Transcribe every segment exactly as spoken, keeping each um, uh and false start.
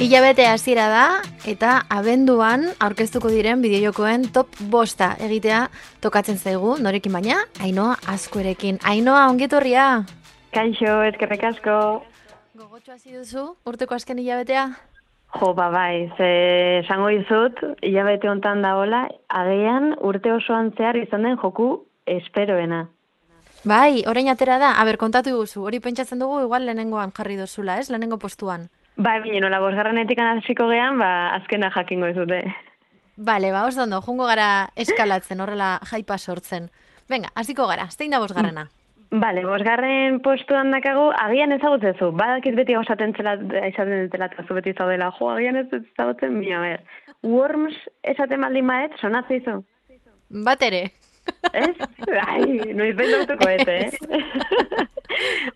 Hilabete hasiera da eta abenduan aurkeztuko diren bideojokoen top bosta egitea tokatzen zaigu, norekin baina, Ainhoa Azkuerekin. Ainhoa, ongetorria! Kaixo, eskerrik asko. Gogotxo hasi duzu, urteko azken hilabetea? Jo, ba bai, ze esango dizut, hilabete hontan dagoela, agian urte osoan zehar izan den joku esperoena. Bai, orain atera da, aber, kontatu guzu, hori pentsatzen dugu igual lehenengoan jarri dozula, ez? Lehenengo postuan. Bai, bine, nola bosgarrenetik hasiko gean, ba, azkena jakingo dizute. Bale, ba, oso ondo, jungo gara eskalatzen, horrela jaipa sortzen. Venga, hasiko gara, zein da bosgarrena? Bale, bosgarren postuan dakagu, agian ezagutzezu, badakiz beti esaten zela, esaten zela, zu beti zaudela, jo, agian ez ezagutzen, bina, ber. Worms esaten baldin maet, sonatzen izu? Bat ere. Ez? Ai, noiz behin dautuko ez, eh?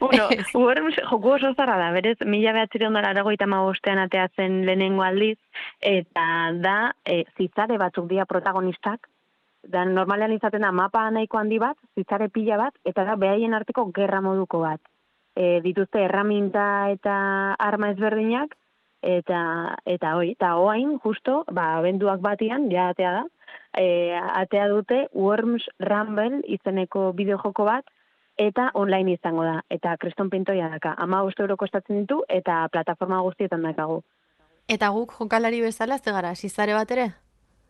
Bueno, Worms joku oso zarra da, berez, mila behatzireun dara aragoita magostean ateatzen lehenengo aldiz, eta da, e, zizare batzuk dira protagonistak, da normalean izaten da mapa nahiko handi bat, zizare pila bat, eta da behaien arteko gerra moduko bat. E, dituzte erraminta eta arma ezberdinak, eta eta hoi, eta hoain, justo, ba, abenduak batian, ja atea da, e, atea dute Worms Rumble izeneko bideojoko bat, eta online izango da, eta kriston pintoia daka. Ama bost euro kostatzen ditu, eta plataforma guztietan dakagu. Eta guk jokalari bezala, ze gara, zizare bat ere?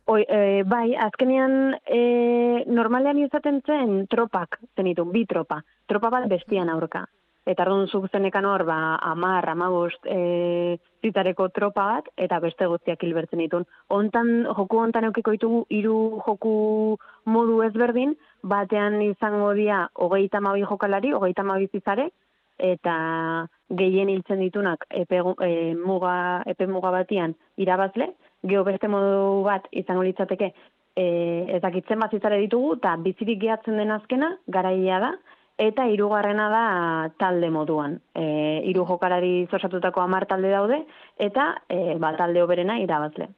Oi, e, bai, azkenean e, normalean izaten zen tropak zenitun, bi tropa. Tropa bat bestian aurka. Eta arduan zuk zenekan hor, ba, amar, amagost e, zitareko tropa bat, eta beste guztiak hilbertzen ditun. Hontan, joku hontan eukiko ditugu hiru joku modu ezberdin, batean izango dira hogeita hamabi jokalari, hogeita hamabi zizare, eta gehien hiltzen ditunak epe, e, muga, epe muga batian irabazle, geho beste modu bat izango litzateke e, ezakitzen bat zizare ditugu, eta bizirik gehatzen den azkena, garaia da, eta hirugarrena da talde moduan. E, hiru jokalari osatutako hamar talde daude, eta e, ba, talde oberena irabazle.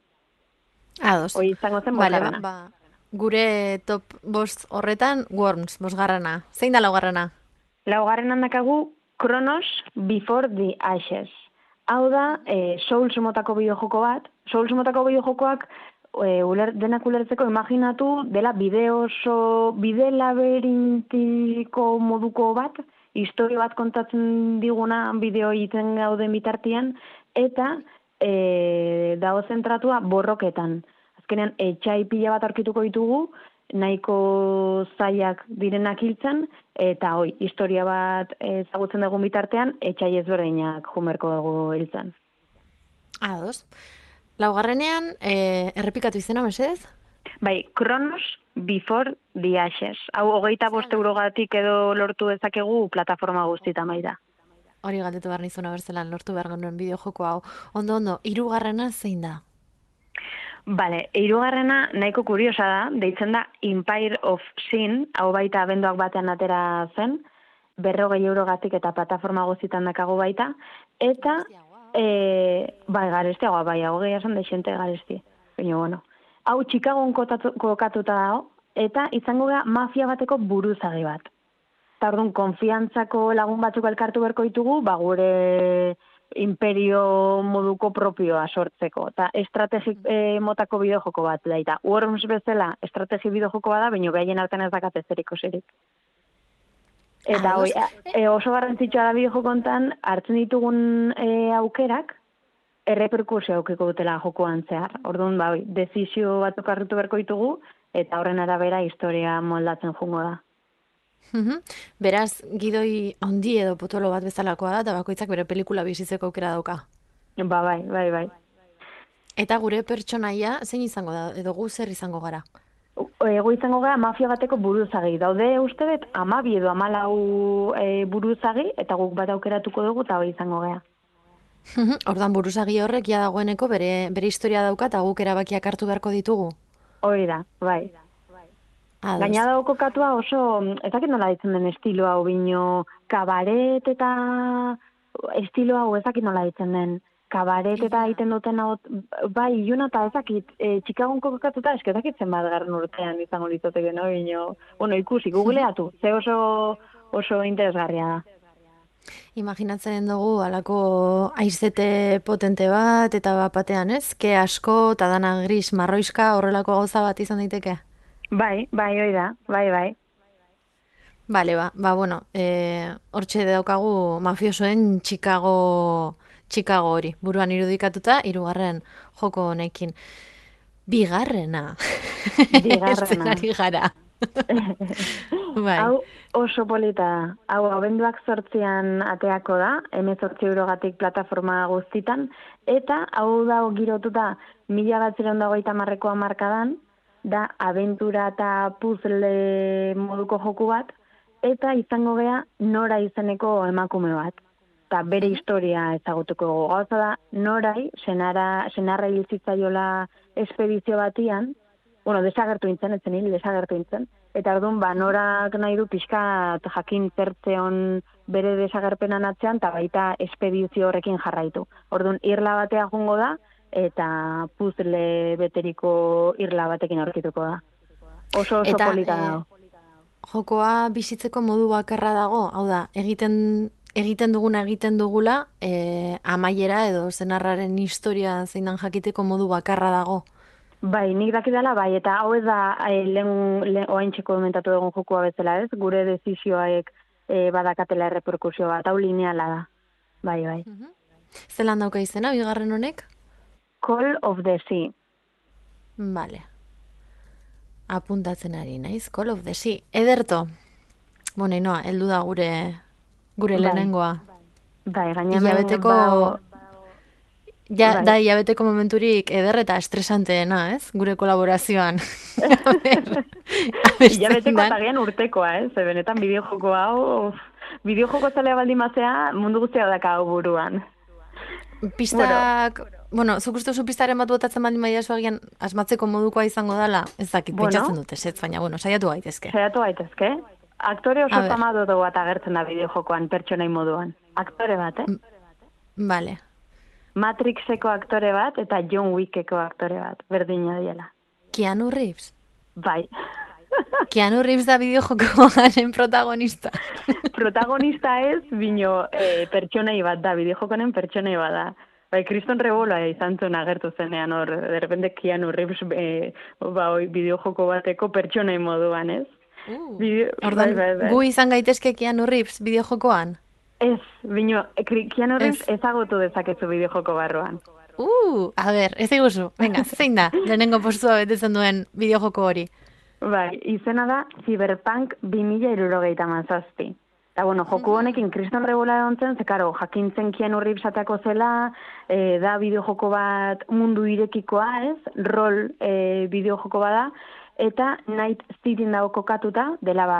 Ados. Hoi izango zen Vale, bosgarrena. ba, ba, gure top bost horretan, Worms, bosgarrena. Zein da laugarrena? Laugarrenan dakagu Kronos Before the Ashes. Hau da, e, Souls motako bideojoko bat. Souls motako bideojokoak e, uler, denak ulertzeko imaginatu dela bide oso, bide labirintiko moduko bat, historia bat kontatzen diguna bideo egiten gauden bitartian, eta e, dago zentratua borroketan. Azkenean, etxai pila bat aurkituko ditugu, nahiko zaiak direnak hiltzen, eta hoi, historia bat ezagutzen dugun bitartean, etxai ezberdinak jumerko dugu hiltzen. Ados. Laugarrenean, e, errepikatu izena, mesedez? Bai, Kronos Before the Ashes. Hau, hogeita bost eurogatik edo lortu dezakegu plataforma guztietan bai da. Hori galdetu behar nizuna berzelan lortu behar genuen bideojoko hau. Ondo, ondo, hirugarrena zein da? Bale, hirugarrena nahiko kuriosa da, deitzen da Empire of Sin, hau baita abenduak batean atera zen, berrogei eurogatik eta plataforma guztietan dakago baita, eta, e, bai, garestiagoa, bai, hau gehi esan deixente garesti. Baina, bueno. Hau, Chicagoan kokatuta dago, eta izango gara mafia bateko buruzagi bat. Eta orduan, konfiantzako lagun batzuk elkartu berko ditugu, ba, gure imperio moduko propioa sortzeko. Eta estrategi e, motako bideojoko bat daita. Worms bezala estrategi bideojoko bada, baina behaien artean ez dakate zeriko zerik. Eta hoi, e, oso garrantzitsua da bideojoko hontan, hartzen ditugun e, aukerak, erreperkusio aukiko dutela jokoan zehar. Orduan, ba, desizio batzuk harritu berko ditugu, eta horren arabera historia moldatzen jungo da. Beraz, gidoi handi edo potolo bat bezalakoa da, eta bakoitzak bere pelikula bizitzeko aukera dauka. Ba, bai, bai, bai. Eta gure pertsonaia, zein izango da, edo gu zer izango gara? Ego izango gara mafia bateko buruzagi. Daude uste dut, amabi edo amalau e, buruzagi, eta guk bat aukeratuko dugu, eta hori izango gara. Ordan buruzagi horrek ja dagoeneko bere, bere historia dauka, eta guk erabakiak hartu beharko ditugu? Hori da, bai. Gaina dago kokatua oso, ezakit nola ditzen den estilo hau, bino kabaret eta estilo hau ezakit nola ditzen den. Kabaret eta egiten duten hau, bai, iluna eta ezakit, e, Chicagoan kokatuta eskezakit zenbat garren urtean izango litzateke, no? Bino, bueno, ikusi, googleatu, ze oso, oso interesgarria da. Imaginatzen dugu alako aizete potente bat, eta bat batean ez? Ke asko, eta dana gris marroiska horrelako gauza bat izan daiteke? Bai, bai, hoi da, bai, bai. Bale, ba, ba, bueno, e, hortxe daukagu mafiosoen Chicago, Chicago hori, buruan irudikatuta, hirugarren joko honekin. Bigarrena, Bigarrena. eszenari gara. Bai. Hau oso polita da. Hau abenduak zortzian ateako da, hemezortzi eurogatik plataforma guztitan, eta hau da girotuta mila bat ziren dagoita marreko hamarkadan, da abentura eta puzzle moduko joku bat, eta izango gea nora izeneko emakume bat. Eta bere historia ezagutuko dugu. Gauza da, norai, senara, senarra hilzitzaiola espedizio batian, bueno, desagertu nintzen, etzen hil, desagertu nintzen, eta orduan, ba, norak nahi du pixka jakin zertzeon bere desagerpenan atzean, eta baita espedizio horrekin jarraitu. Orduan, irla batea jungo da, eta puzzle beteriko irla batekin aurkituko da. Oso oso Eta polita e, dago. jokoa bizitzeko modu bakarra dago, hau da, egiten egiten duguna egiten dugula, e, amaiera edo zenarraren historia zeinan jakiteko modu bakarra dago. Bai, nik dakidala, bai, eta hau ez da e, lehen, lehen oaintxeko komentatu dugun jokoa bezala ez, gure desizioaek e, badakatela erreperkusio bat, hau lineala da. Bai, bai. Zelan dauka izena, bigarren honek? Call of the Sea. Vale. Apuntatzen ari naiz, Call of the Sea. Ederto. Bueno, inoa, heldu da gure gure Bai. lehenengoa. Bai, gainemen Hilabeteko, ba, ja, bai. da hilabeteko momenturik eder eta estresanteena, ez? Gure kolaborazioan. A ber, a ber zein Hilabeteko dan. eta gian urtekoa, eh? Ze benetan bideojoko hau, of, bideojoko zalea baldin mazea, mundu guztia daka hau buruan. Pistak, bueno, zuk uste zu pistaren bat botatzen baldin badiazu agian asmatzeko modukoa izango dala, ez dakit, Bueno. pentsatzen dut ezetz, baina, bueno, saiatu gaitezke. Zeratu gaitezke? Aktore A oso ber. famadoto bat agertzen da bideojokoan pertsonai moduan. Aktore bat, eh? Vale. Matrixeko aktore bat eta John Wickeko aktore bat, berdina diela. Keanu Reeves. Bai. Keanu Reeves da bideojokoaren protagonista. Protagonista ez, bino e, pertsonai bat da, bideojokonen pertsonai bat da. Bai, Kriston Reboloa izan zuen agertu zenean hor, de repente Keanu Reeves e, ba, oi, bideojoko bateko pertsonai moduan, ez? Uh, Bideo, Ordan, bai, bai, bai. gu izan gaitezke Keanu Reeves bideojokoan? Ez, bino, Keanu Reeves Ez. ezagutu dezakezu bideojoko barruan. Uh, a ber, ez eguzu. Venga, zein da, lehenengo postua betetzen duen bideojoko hori. Bai, izena da Cyberpunk bi mila hirurogeita hamazazpi. Eta, bueno, joku honekin Kriston Rebola egontzen, ze, karo, jakintzen Keanu Reeves ateako zela, e, da bideojoko bat mundu irekikoa, ez? Rol e, bideojoko bada, eta Night Cityn dago kokatuta, dela ba,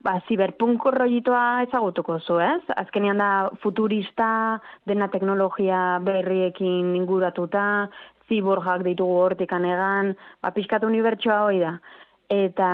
ba, cyberpunk rollitoa ezagutuko zu, ez? Azkenean da futurista, dena teknologia berriekin inguratuta, ziborgak ditugu hortik anegan, ba, pixkat unibertsoa hoi da. Eta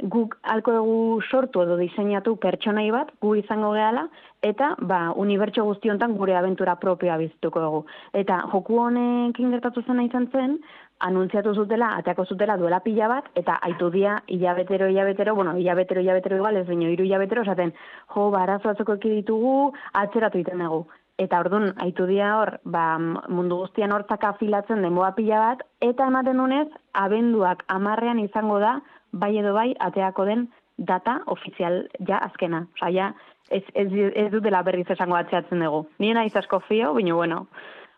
guk alko dugu sortu edo diseinatu pertsonai bat, gu izango gehala, eta ba, unibertso guztiontan gure abentura propioa bizituko dugu. Eta joku honekin gertatu zena izan zen, anuntziatu zutela, ateako zutela duela pila bat, eta aitu dia hilabetero, hilabetero, bueno, hilabetero, hilabetero igual, ez baino, hiru hilabetero, esaten, jo, ba, arazo batzuk ditugu, atzeratu iten dugu. Eta orduan, aitu dia hor, ba, mundu guztian hortzak afilatzen denboa pila bat, eta ematen dunez, abenduak amarrean izango da, bai edo bai, ateako den data ofizial ja azkena. Osa, ja, ez, ez, ez dutela berriz esango atzeatzen dugu. Nien aiz asko fio, baina bueno,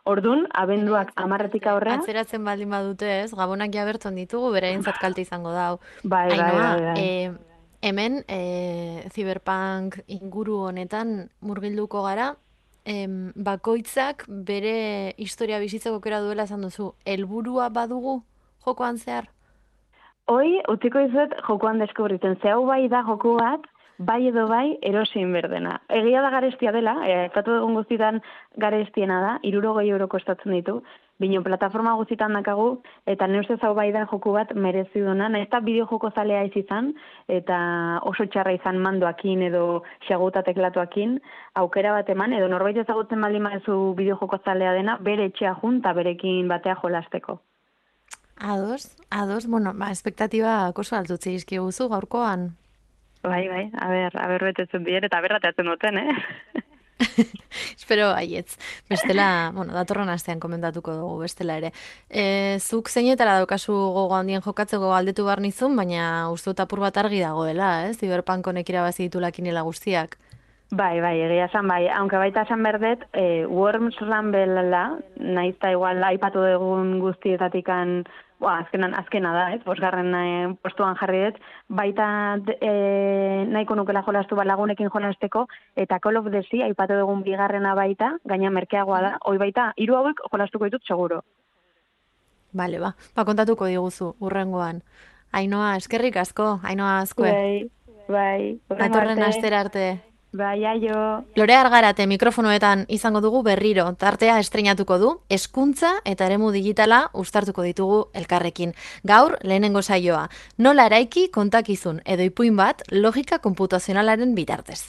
orduan, abenduak amarretik aurrea. Atzeratzen baldin badute ez, gabonak ja berton ditugu, beraintzat kalte izango da. Bai, bai, Ainhoa, bai, bai. eh, hemen eh, Cyberpunk inguru honetan murgilduko gara, em, bakoitzak bere historia bizitzeko aukera duela esan duzu. Helburua badugu jokoan zehar? Hoi, utziko izuet jokoan deskubritzen. Ze hau bai da joku bat, bai edo bai erosin berdena. Egia da garestia dela, aipatu dugun guztietan garestiena da, hirurogei euro kostatzen ditu, bino plataforma guztietan dakagu, eta ne ustez hau bai da joku bat merezi duna, nahiz eta bideojoko zalea ez izan, eta oso txarra izan mandoakin edo xaguta teklatuakin, aukera bat eman, edo norbait ezagutzen baldin badezu bideojoko zalea dena, bere etxea junta berekin batea jolasteko. Ados, ados, bueno, ba, espektatiba oso altutzi izkiguzu gaurkoan. Bai, bai, a ber, a ber betetzen dien, eta berrateatzen duten, eh? Espero baietz. Bestela, bueno, datorren astean komentatuko dugu bestela ere. E, zuk zeinetara daukazu gogo handien jokatzeko galdetu behar nizun, baina uste dut apur bat argi dagoela, ez? Cyberpunk honek irabazi ditu lakinela guztiak. Bai, bai, egia esan bai. Aunque baita esan berdet, e, Worms Rumble-la, naiz eta igual aipatu dugun guztietatikan, boa, azkenan, azkena da, ez? Bosgarren e, postuan jarri dut, baita e, nahiko nukela jolastu balagunekin jolasteko, eta Call of Duty aipatu dugun bigarrena baita, gaina merkeagoa da, hoi baita, hiru hauek jolastuko ditut seguro. Bale, ba, ba kontatuko diguzu, urrengoan. Ainoa, eskerrik asko, Ainoa azkue. Bai, bai, Datorren astera arte. Bai, aio. Lore Argarate mikrofonoetan izango dugu berriro, tartea estreinatuko du, hezkuntza eta eremu digitala uztartuko ditugu elkarrekin. Gaur, lehenengo saioa, nola eraiki kontakizun edo ipuin bat logika konputazionalaren bitartez.